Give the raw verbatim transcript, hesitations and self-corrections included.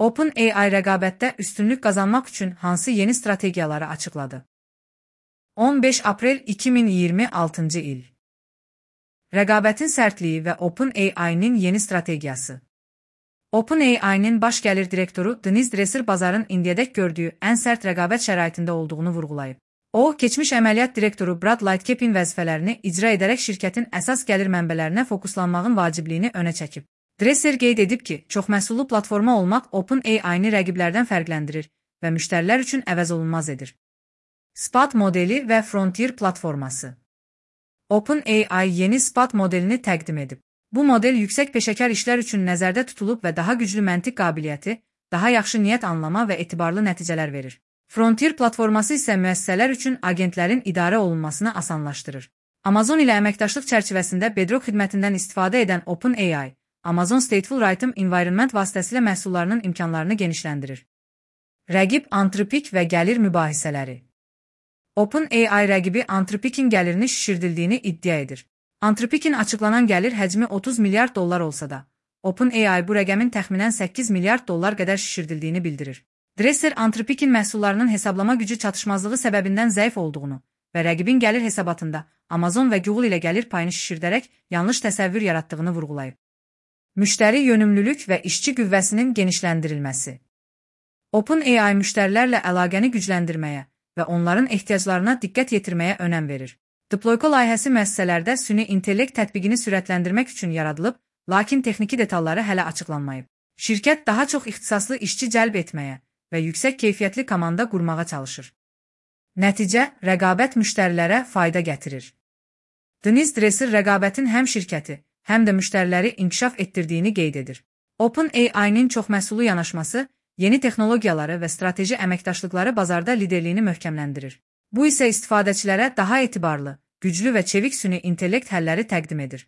OpenAI rəqabətdə üstünlük qazanmaq üçün hansı yeni strategiyaları açıqladı? on beş aprel iki min iyirmi altıncı il. Rəqabətin sərtliyi və OpenAI-nin yeni strategiyası. OpenAI-nin baş gəlir direktoru Dennis Dresser bazarın indiyədək gördüyü ən sərt rəqabət şəraitində olduğunu vurğulayıb. O, keçmiş əməliyyat direktoru Brad Lightcap'in vəzifələrini icra edərək şirkətin əsas gəlir mənbələrinə fokuslanmağın vacibliyini önə çəkib. Dresser qeyd edib ki, çoxməhsullu platforma olmaq OpenAI-ni rəqiblərdən fərqləndirir və müştərilər üçün əvəzolunmaz edir. Spat modeli və Frontier platforması. OpenAI yeni Spat modelini təqdim edib. Bu model yüksək peşəkar işlər üçün nəzərdə tutulub və daha güclü məntiq qabiliyyəti, daha yaxşı niyyət anlama və etibarlı nəticələr verir. Frontier platforması isə müəssisələr üçün agentlərin idarə olunmasını asanlaşdırır. Amazon ilə əməkdaşlıq çərçivəsində Bedrock xidmətindən istifadə edən OpenAI, Amazon Stateful Write Environment vasitəsilə məhsullarının imkanlarını genişləndirir. Rəqib Anthropic və gəlir mübahisələri. OpenAI rəqibi Anthropic'in gəlirini şişirdildiyini iddia edir. Anthropic'in açıqlanan gəlir həcmi otuz milyard dollar olsa da, OpenAI bu rəqəmin təxminən səkkiz milyard dollar qədər şişirdildiyini bildirir. Dresser Anthropic'in məhsullarının hesablama gücü çatışmazlığı səbəbindən zəif olduğunu və rəqibin gəlir hesabatında Amazon və Google ilə gəlir payını şişirdərək yanlış təsəvvür yaratdığını vurğulayıb. Müştəri yönümlülük və işçi qüvvəsinin genişləndirilməsi. OpenAI müştərilərlə əlaqəni gücləndirməyə və onların ehtiyaclarına diqqət yetirməyə önəm verir. Deployco layihəsi müəssisələrdə süni intellekt tətbiqini sürətləndirmək üçün yaradılıb, lakin texniki detalları hələ açıqlanmayıb. Şirkət daha çox ixtisaslı işçi cəlb etməyə və yüksək keyfiyyətli komanda qurmağa çalışır. Nəticə, rəqabət müştərilərə fayda gətirir. Dennis Dresser rəqabətin həm şirkəti, həm də müştəriləri inkişaf etdirdiyini qeyd edir. OpenAI-nin çoxməhsullu yanaşması, yeni texnologiyaları və strateji əməkdaşlıqları bazarda liderliyini möhkəmləndirir. Bu isə istifadəçilərə daha etibarlı, güclü və çevik süni intellekt həlləri təqdim edir.